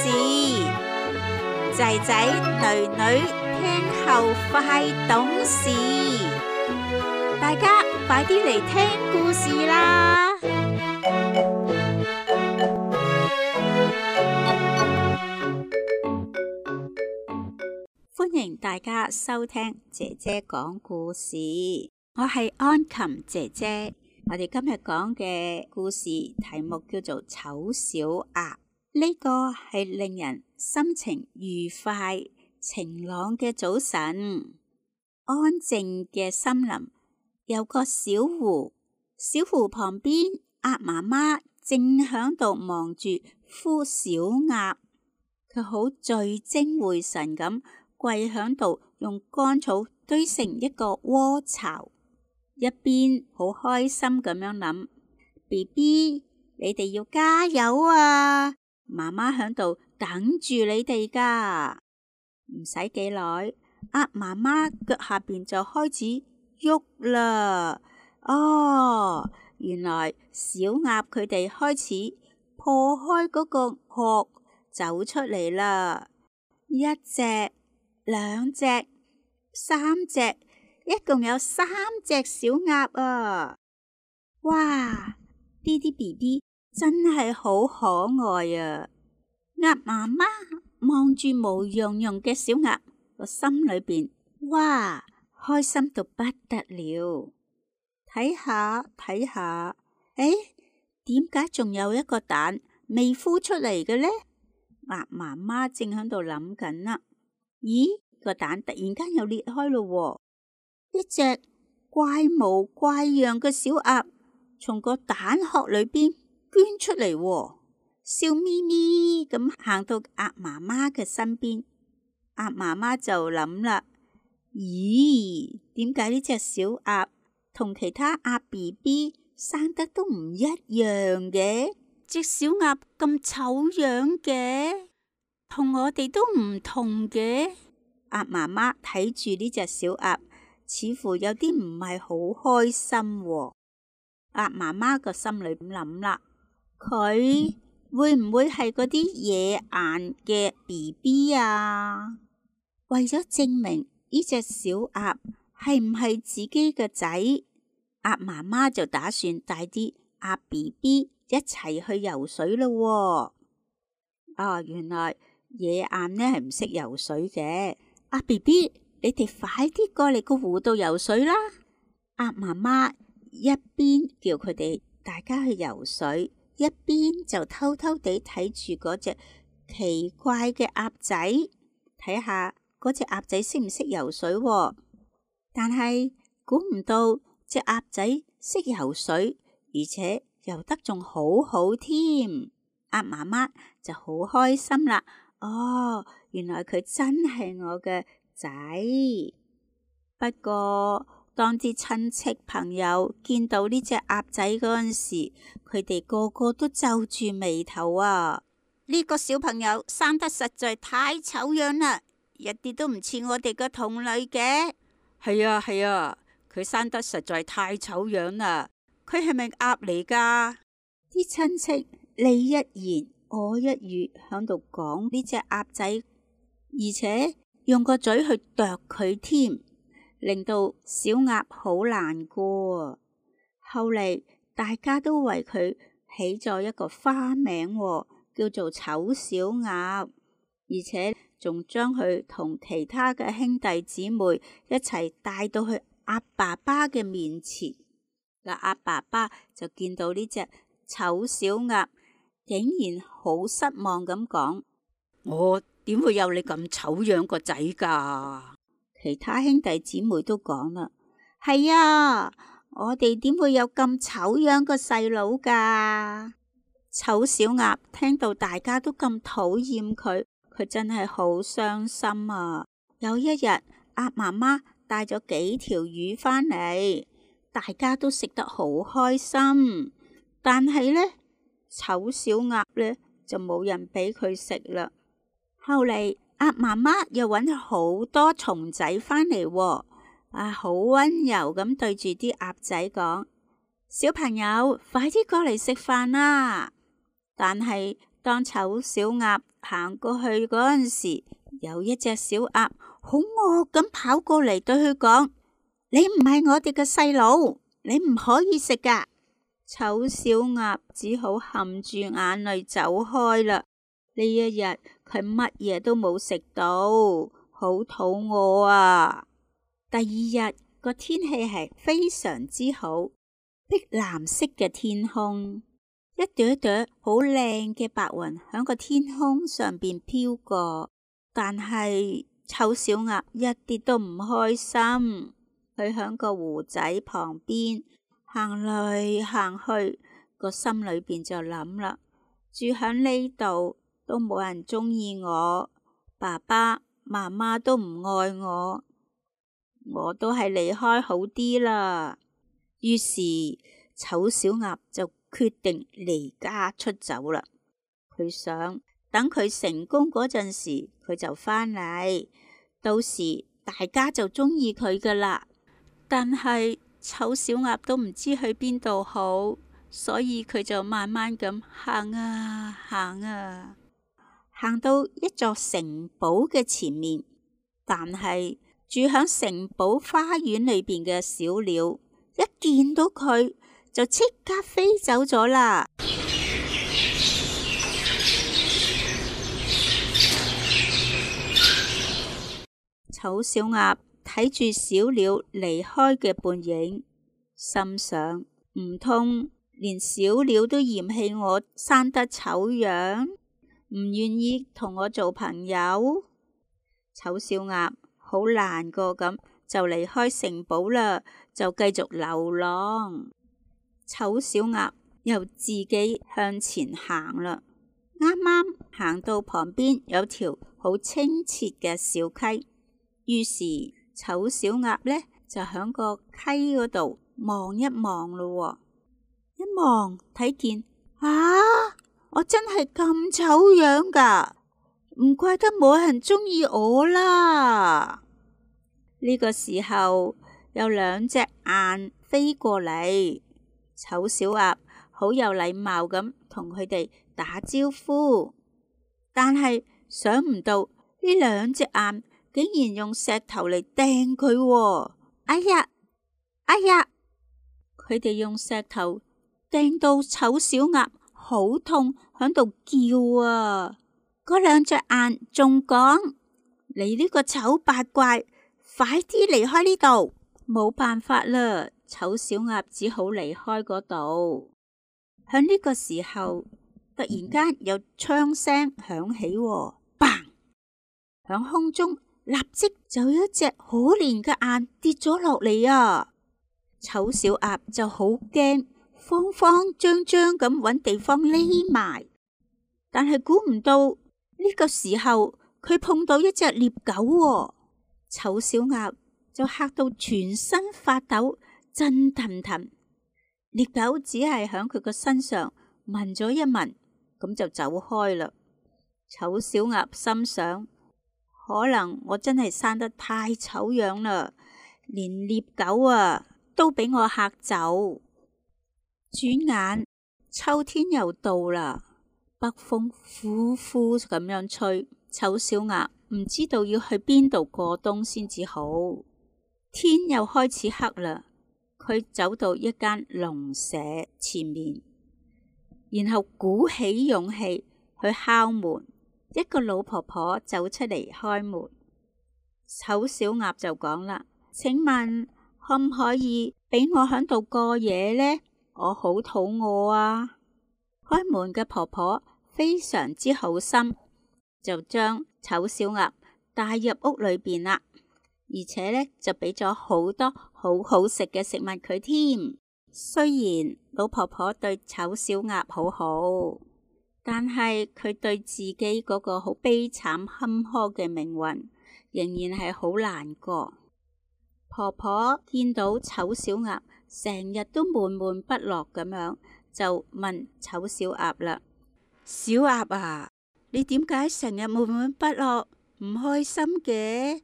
事，仔仔女女聽後快懂事，大家快啲嚟聽故事啦！歡迎大家收聽姐姐講故事，我係安琴姐姐。我哋今日講嘅故事題目叫做醜小鴨。呢個係令人心情愉快、晴朗嘅早晨。安靜嘅森林有個小湖，小湖旁邊鴨媽媽正響度忙住孵小鴨，佢好聚精會神咁跪響度，用乾草堆成一個窩巢，一邊好開心咁樣諗 ：BB， 你哋要加油啊！媽媽響度等住你哋噶。唔使幾耐，鴨媽媽腳下邊就開始喐啦。哦，原來小鴨佢哋開始破開嗰個殼走出嚟啦。一隻、兩隻、三隻，一共有3隻小鴨啊！哇，呢啲 BB 真係好可愛啊！鴨媽媽望住毛茸茸嘅小鴨，個心裏邊哇，開心到不得了。睇下，誒，點解仲有一個蛋未孵出嚟嘅呢？鴨媽媽正喺度諗緊啦。咦，個蛋突然間又裂開咯，一隻怪模怪樣嘅小鴨從個蛋殼裏邊捐出嚟，笑眯眯咁行到鴨媽媽嘅身邊。鴨媽媽就諗啦，咦，點解呢隻小鴨同其他鴨 BB 生得都唔一樣嘅？隻小鴨咁醜樣嘅，同我哋都唔同嘅。鴨媽媽睇住呢隻小鴨，似乎有啲唔係好開心喎。鴨媽媽個心裏咁諗啦，佢會唔會係嗰啲野顏嘅 BB 啊？為咗證明呢隻小鴨係唔係自己嘅仔，鴨媽媽就打算帶啲鴨 BB 一齊去游水咯。原來野鴨呢係唔識游水嘅。鴨 BB， 你哋快啲過嚟個湖度游水啦！鴨媽媽一邊叫佢哋大家去游水，一邊就偷偷地睇住嗰隻奇怪嘅鴨仔，睇下嗰隻鴨仔識唔識游水喎。但係估唔到隻鴨仔識游水，而且游得仲好好添。鴨媽媽就好開心啦。哦，原來佢真係我嘅仔。不過當啲親戚朋友見到呢隻鴨仔嗰陣時，佢哋個個都皺住眉頭啊！呢個小朋友生得實在太醜樣啦，一啲都唔似我哋嘅同類嘅。係啊，佢生得實在太醜樣啦。佢係咪鴨嚟噶？啲親戚你一言我一語響度講呢隻鴨仔，而且用個嘴去啄佢添，令到小鴨好難過。後嚟大家都為佢起咗一個花名，叫做醜小鴨，而且仲將佢同其他嘅兄弟姊妹一齊帶到去鴨爸爸嘅面前。嗱，鴨爸爸就見到呢隻醜小鴨，竟然好失望咁講：我點會有你咁醜樣個仔噶？其他兄弟姊妹都講啦：係啊，我哋點會有咁醜樣個細佬噶？醜小鴨聽到大家都咁討厭佢，佢真係好傷心啊！有一日，鴨媽媽帶咗幾條魚返嚟，大家都食得好開心，但係呢，醜小鴨呢就冇人俾佢食啦。後嚟鴨媽媽又搵好多蟲仔返嚟，好溫柔咁對住啲鴨仔講：小朋友，快啲過嚟食飯啦！但係當醜小鴨行過去嗰陣時，有一隻小鴨好惡咁跑過嚟對佢講：你唔係我哋嘅細佬，你唔可以食㗎。醜小鴨只好含住眼淚走開啦。呢一日佢乜嘢都冇食到，好肚餓啊！第二日個天氣係非常之好，碧藍色嘅天空，一朵一朵好靚嘅白雲響個天空上邊飄過，但係醜小鴨一啲都唔開心。佢響個湖仔旁邊行嚟行去，個心裏邊就諗啦：住響呢度都冇人鍾意我，爸爸媽媽都唔愛我，我都係離開好啲啦。於是醜小鴨就決定離家出走啦。佢想等佢成功嗰陣時，佢就返嚟，到時大家就鍾意佢噶啦。但係醜小鴨都唔知去邊度好，所以佢就慢慢咁行啊行啊，行到一座城堡嘅前面。但係住響城堡花園裏邊嘅小鳥一見到佢就即刻飛走咗啦。醜小鴨睇住小鳥離開嘅背影，心想：唔通連小鳥都嫌棄我生得醜樣，唔願意同我做朋友？醜小鴨好難過咁就離開城堡啦，就繼續流浪。醜小鴨又自己向前行啦，啱啱行到旁邊有條好清澈嘅小溪，於是醜小鴨呢就響個溪嗰度望一望咯。一望睇見啊，我真係咁醜樣噶，唔怪得冇人鍾意我啦。呢個時候有兩隻雁飛過嚟，醜小鴨好有禮貌咁同佢哋打招呼，但係想唔到呢兩隻雁竟然用石頭嚟掟佢。哎呀哎呀！佢哋用石頭掟到醜小鴨好痛，響度叫啊！嗰兩隻雁仲講：你呢個醜八怪，快啲離開呢度！冇辦法啦，醜小鴨只好離開嗰度。響呢個時候，突然間有槍聲響起，砰！響空中立即就有一隻可憐嘅雁跌咗落嚟啊！醜小鴨就好驚，慌慌張張咁搵地方匿埋，但係估唔到呢個時候佢碰到一隻獵狗，醜小鴨就嚇到全身發抖，震騰騰。獵狗只係響佢個身上聞咗一聞，咁就走開啦。醜小鴨心想：可能我真係生得太醜樣啦，連獵狗都俾我嚇走。轉眼秋天又到啦，北風呼呼咁樣吹，醜小鴨唔知道要去邊度過冬先至好。天又開始黑啦，佢走到一間農舍前面，然後鼓起勇氣去敲門。一個老婆婆走出嚟開門，醜小鴨就講啦：請問可唔可以俾我喺度過夜呢？我好肚餓啊！開門嘅婆婆非常之好心，就將醜小鴨帶入屋裏邊啦，而且呢，就俾咗好多好好食嘅食物佢添。雖然老婆婆對醜小鴨好好，但係佢對自己嗰個好悲慘坎坷嘅命運仍然係好難過。婆婆見到醜小鴨成日都悶悶不樂咁樣，就問醜小鴨啦：小鴨啊，你點解成日悶悶不樂，唔開心嘅？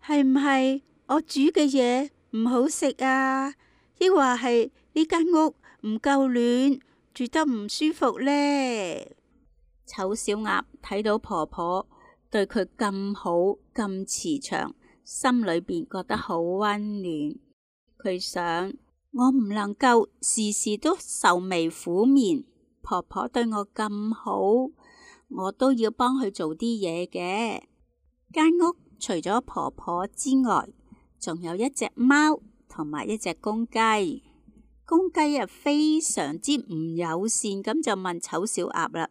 係唔係我煮嘅嘢唔好食啊？抑或係呢間屋唔夠暖，住得唔舒服呢？醜小鴨睇到婆婆對佢咁好咁慈祥，心裏邊覺得好溫暖。佢想，我唔能夠時時都愁眉苦面，婆婆對我咁好，我都要幫佢做啲嘢嘅。間屋除咗婆婆之外，仲有一隻貓同埋一隻公雞。公雞非常之唔友善，咁就問醜小鴨啦：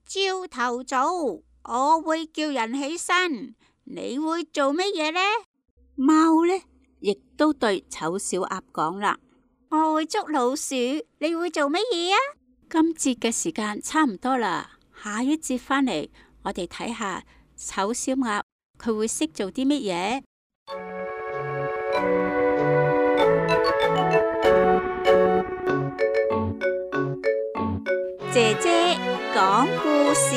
朝頭早我會叫人起身，你會做乜嘢呢？貓呢亦都對醜小鴨講啦：我會捉老鼠，你會做乜嘢啊？今節嘅時間差唔多啦，下一節返嚟我哋睇下醜小鴨佢會識做啲乜嘢。姐姐講故事，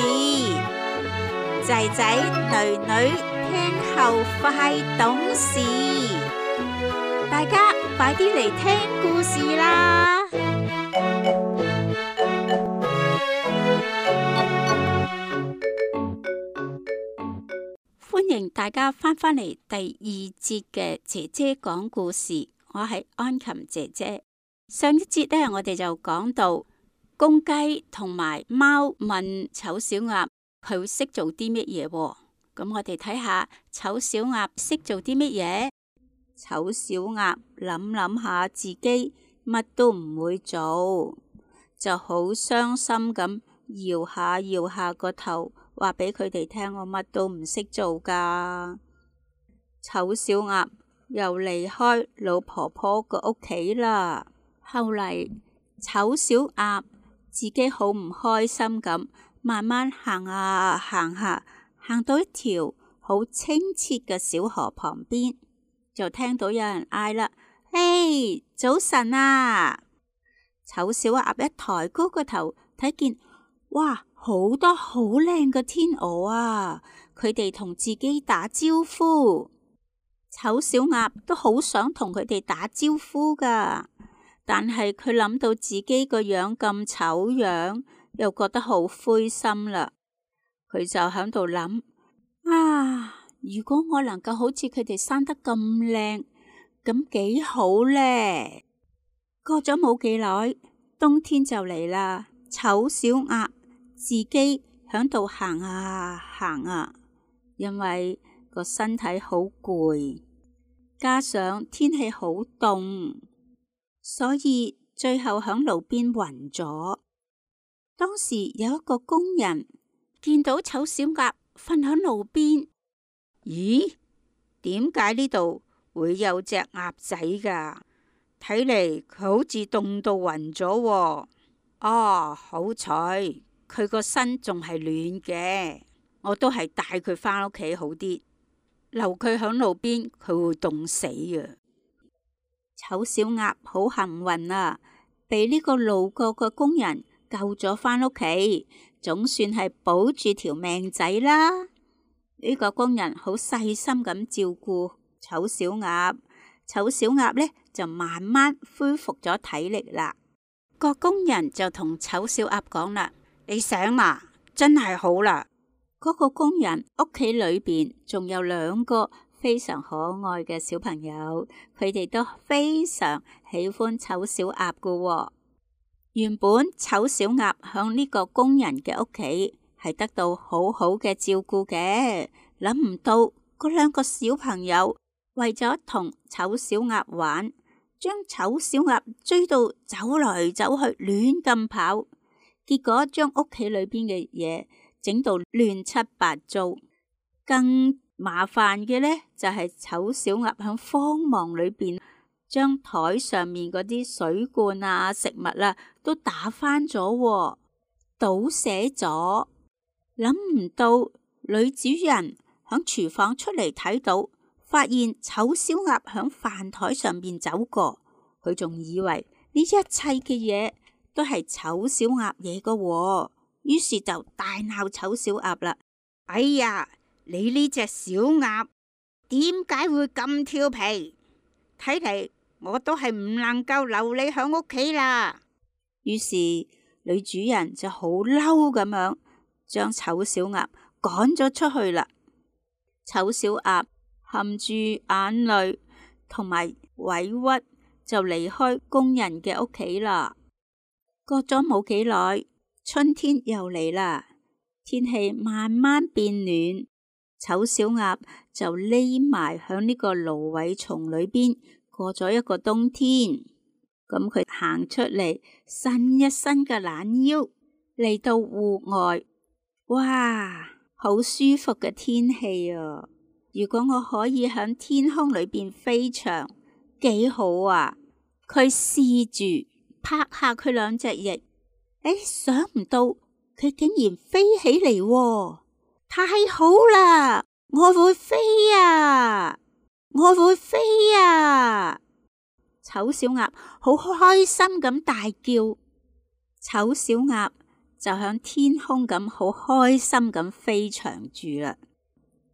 仔仔女女聽後快懂事，大家快啲嚟聽故事啦！歡迎大家返嚟第二節嘅姐姐講故事，我係安琴姐姐。上一節呢，我哋就講到公雞同埋貓問醜小鴨佢會識做啲乜嘢，咁我哋睇下醜小鴨識做啲乜嘢。醜小鴨諗下自己乜都唔會做，就好傷心咁搖下個頭，話俾佢哋聽，我乜都唔識做噶。醜小鴨又離開老婆婆個屋企啦。後嚟醜小鴨自己好唔開心咁，慢慢行下，行到一條好清澈嘅小河旁邊，就聽到有人嗌啦：嘿，早晨啊！醜小鴨一抬高個頭，睇見，哇，好多好靚嘅天鵝啊！佢哋同自己打招呼。醜小鴨都好想同佢哋打招呼噶，但係佢諗到自己個樣咁醜樣，又覺得好灰心啦。佢就喺度諗：啊，如果我能夠好似佢哋生得咁靚，咁幾好呢？過咗冇幾耐，冬天就嚟啦。醜小鴨自己喺度行啊，因為個身體好攰，加上天氣好凍，所以最後喺路邊暈咗。當時有一個工人見到醜小鴨瞓喺路邊，咦？點解呢度會有隻鴨仔噶？睇嚟佢好似凍到暈咗喎。哦，好彩佢個身仲係暖嘅，我都係帶佢返屋企好啲，留佢喺路邊佢會凍死啊！醜小鴨好幸運啊，被呢個路過嘅工人救咗返屋企，總算係保住條命仔啦。呢個工人好細心咁照顧醜小鴨，醜小鴨呢就慢慢恢復咗體力啦。個工人就同醜小鴨講啦：你醒啦，真係好啦。嗰個工人屋企裏邊仲有2個非常可愛嘅小朋友，佢哋都非常喜歡醜小鴨噶喎。原本醜小鴨響呢個工人嘅屋企係得到好好嘅照顧嘅，諗唔到嗰2個小朋友為咗同醜小鴨玩，將醜小鴨追到走來走去，亂咁跑，結果將屋企裏邊嘅嘢整到亂七八糟。更麻煩嘅呢，就係醜小鴨喺慌忙裏邊將台上面嗰啲水罐啊、食物啊都打翻咗，倒瀉咗。諗唔到女主人喺廚房出嚟睇到，發現醜小鴨喺飯台上面走過，佢仲以為呢一切嘅嘢都係醜小鴨嘢㗎，於是就大鬧醜小鴨啦。哎呀，你呢隻小鴨點解會咁調皮？睇嚟我都係唔能夠留你喺屋企啦。於是女主人就好嬲咁樣將醜小鴨趕咗出去啦。醜小鴨含住眼淚同埋委屈就離開工人嘅屋企啦。過咗冇幾耐，春天又嚟啦，天氣慢慢變暖，醜小鴨就匿埋響呢個蘆葦叢裏邊過咗一個冬天。咁佢行出嚟，伸一伸個懶腰，嚟到戶外，哇，好舒服嘅天氣啊！如果我可以響天空裏邊飛翔，幾好啊！佢試住拍下佢兩隻翼，想唔到佢竟然飛起嚟喎，太好啦！我會飛啊！我會飛啊！醜小鴨好開心咁大叫，醜小鴨就響天空咁好開心咁飛翔住啦。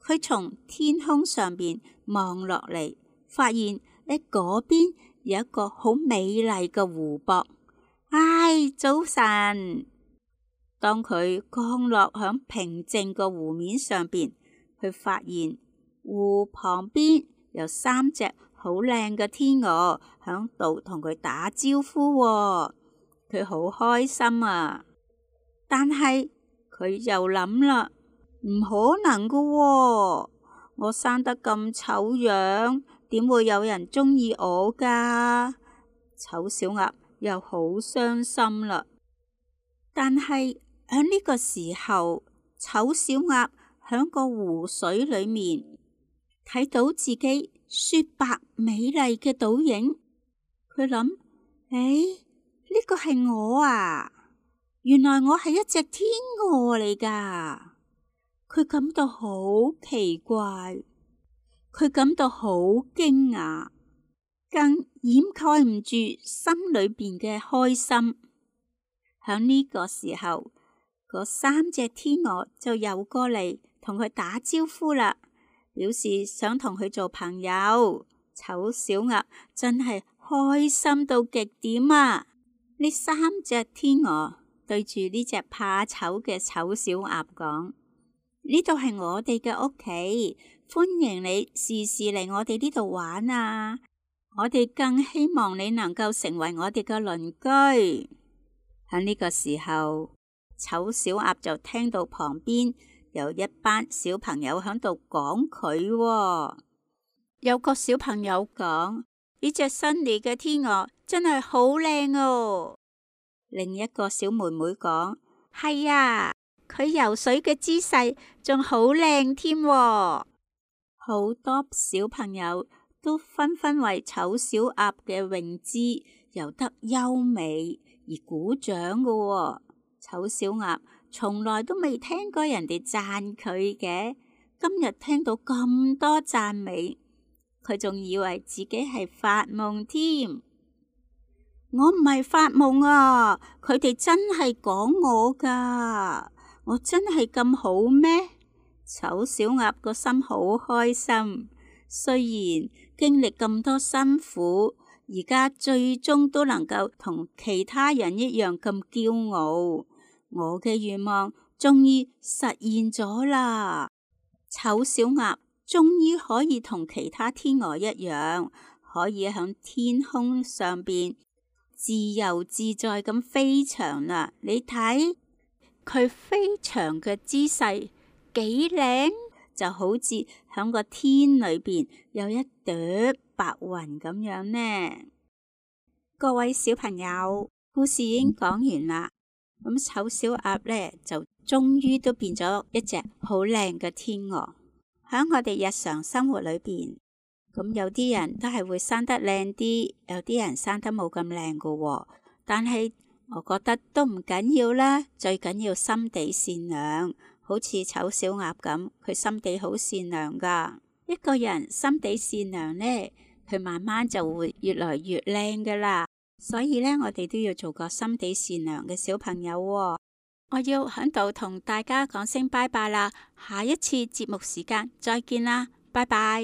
佢從天空上邊望落嚟，發現喺嗰邊有一個好美麗嘅湖泊。早晨！當佢降落響平靜個湖面上邊，佢發現湖旁邊有3隻好靚嘅天鵝響度同佢打招呼喎。佢好開心啊！但係佢又諗啦，唔可能噶喎，我生得咁醜樣，點會有人中意我噶？醜小鴨又好傷心啦。但係喺呢個時候，醜小鴨喺個湖水裏面睇到自己雪白美麗嘅倒影，佢諗：呢個係我啊！原來我係一隻天鵝嚟噶。佢感到好奇怪，佢感到好驚訝，更掩蓋唔住心裏邊嘅開心。響呢個時候，嗰3隻天鵝就游過嚟同佢打招呼啦，表示想同佢做朋友。醜小鴨真係開心到極點啊！呢3隻天鵝對住呢隻怕醜嘅醜小鴨講：呢度係我哋嘅屋企，歡迎你時時嚟我哋呢度玩啊！我哋更希望你能夠成為我哋嘅鄰居。喺呢個時候，醜小鴨就聽到旁邊有一班小朋友喺度講佢喎。有個小朋友講：呢隻新嚟嘅天鵝真係好靚哦。另一個小妹妹講：係啊，佢游水嘅姿勢仲好靚添。好多小朋友都紛紛為醜小鴨嘅泳姿游得優美而鼓掌㗎喎。醜小鴨從來都未聽過人哋讚佢嘅，今日聽到咁多讚美，佢仲以為自己係發夢添。我唔係發夢啊，佢哋真係講我噶，我真係咁好咩？醜小鴨個心好開心，雖然經歷咁多辛苦，而家最終都能夠同其他人一樣咁驕傲。我嘅願望終於實現咗啦！醜小鴨終於可以同其他天鵝一樣，可以喺天空上邊自由自在咁飛翔啦！你睇佢飛翔嘅姿勢幾靚，就好似喺個天裏邊有一朵白雲咁樣呢。各位小朋友，故事已經講完啦。咁醜小鴨呢，就終於都變咗一隻好靚嘅天鵝。喺我哋日常生活裏邊，咁有啲人都係會生得靚啲，有啲人生得冇咁靚噶喎。但係我覺得都唔緊要啦，最緊要心地善良。好似醜小鴨咁，佢心地好善良噶。一個人心地善良呢，佢慢慢就會越來越靚噶啦。所以呢，我哋都要做個心地善良嘅小朋友喎。我要喺度同大家講聲拜拜啦，下一次節目時間再見啦，拜拜。